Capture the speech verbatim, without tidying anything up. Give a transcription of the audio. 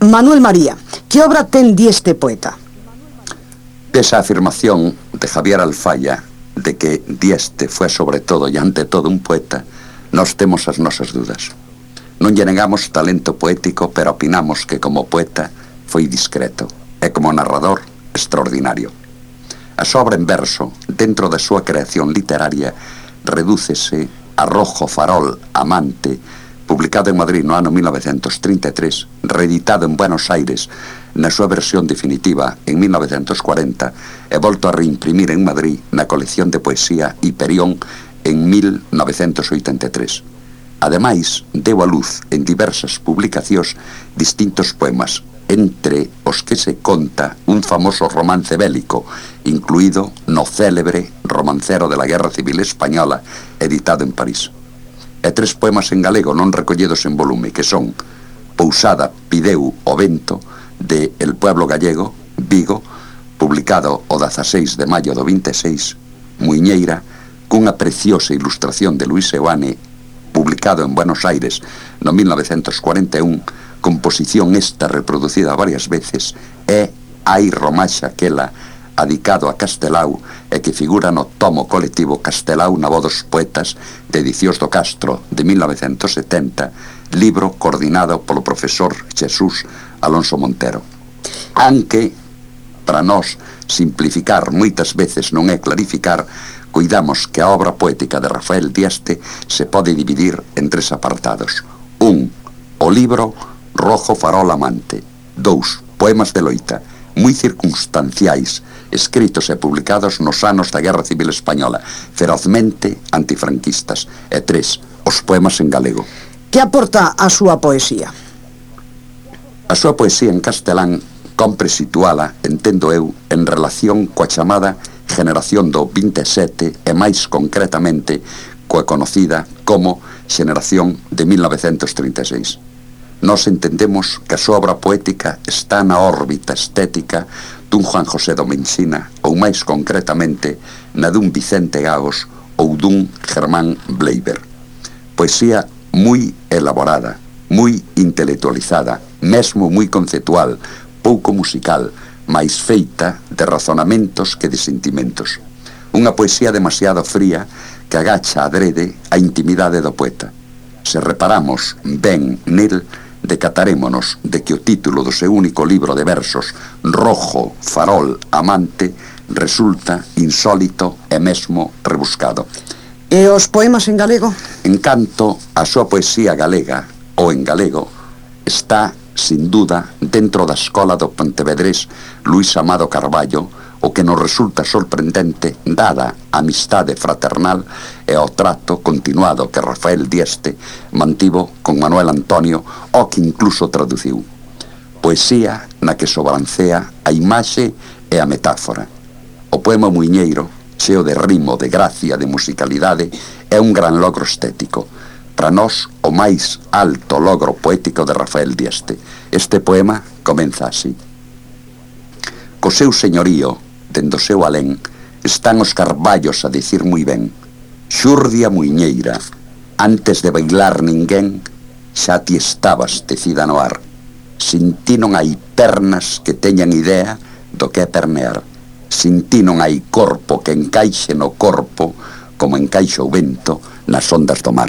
Manuel María, que obra ten Dieste poeta? Esa afirmación de Javier Alfaya de que Dieste fue sobre todo e ante todo un poeta, nós temos as nosas dudas. Non lle negamos talento poético, pero opinamos que como poeta foi discreto e como narrador extraordinario. A súa obra en verso, dentro da súa creación literaria, redúcese a Rojo Farol Amante, publicado en Madrid no ano mil novecentos trinta e tres, reeditado en Buenos Aires na súa versión definitiva en mil novecentos cuarenta e volto a reimprimir en Madrid na colección de poesía Hiperión en mil novecentos oitenta e tres. Ademais, deu a luz en diversas publicacións distintos poemas, entre os que se conta un famoso romance bélico, incluído no célebre Romancero de la Guerra Civil Española, editado en París. E tres poemas en galego non recollidos en volume, que son Pousada pideu o vento, de El Pueblo Gallego, Vigo, publicado o dezaseis de maio do vinte e seis, Muiñeira, cunha preciosa ilustración de Luis Seoane, publicado en Buenos Aires no mil novecentos cuarenta e un, composición esta reproducida varias veces, é Hai Romaxa Quela, adicado a Castelao e que figura no tomo colectivo Castelao na voz dos poetas de Edicións do Castro de mil novecentos setenta, libro coordinado polo profesor Jesús Alonso Montero. Aunque, para nós, simplificar moitas veces non é clarificar, cuidamos que a obra poética de Rafael Dieste se pode dividir en tres apartados. Un, o libro Rojo Farol Amante. Dous, poemas de loita, moi circunstanciais, escritos e publicados nos anos da Guerra Civil Española, ferozmente antifranquistas. E tres, os poemas en galego. Que aporta a súa poesía? A súa poesía en castelán compre situala, entendo eu, en relación coa chamada generación do vinte e sete e máis concretamente coa conocida como xeneración de mil novecentos trinta e seis. Nós entendemos que a súa obra poética está na órbita estética dun Juan José Domensina ou máis concretamente na dun Vicente Gagos ou dun Germán Bleiber. Poesía moi elaborada, moi intelectualizada, mesmo moi conceptual, pouco musical, máis feita de razonamentos que de sentimentos. Unha poesía demasiado fría que agacha adrede a intimidade do poeta. Se reparamos ben nel, decatarémonos de que o título do seu único libro de versos, Rojo Farol Amante, resulta insólito e mesmo rebuscado. E os poemas en galego? En canto a súa poesía galega, ou en galego, está, sin duda, dentro da escola do pontevedrés Luis Amado Carballo, o que nos resulta sorprendente dada a amistade fraternal e o trato continuado que Rafael Dieste mantivo con Manuel Antonio, o que incluso traduciu. Poesía na que sobrancea a imaxe e a metáfora. O poema Muiñeiro, cheo de rimo, de gracia, de musicalidade, é un gran logro estético. Para nós, o máis alto logro poético de Rafael Dieste. Este poema comeza así. Co seu señorío, dende o seu alén, están os carballos a dicir moi ben: Xurdia Muiñeira, antes de bailar ninguén, xa ti estabas tecida no ar. Sin ti non hai pernas que teñan idea do que é pernear. Sin ti non hai corpo que encaixe no corpo como encaixa o vento nas ondas do mar.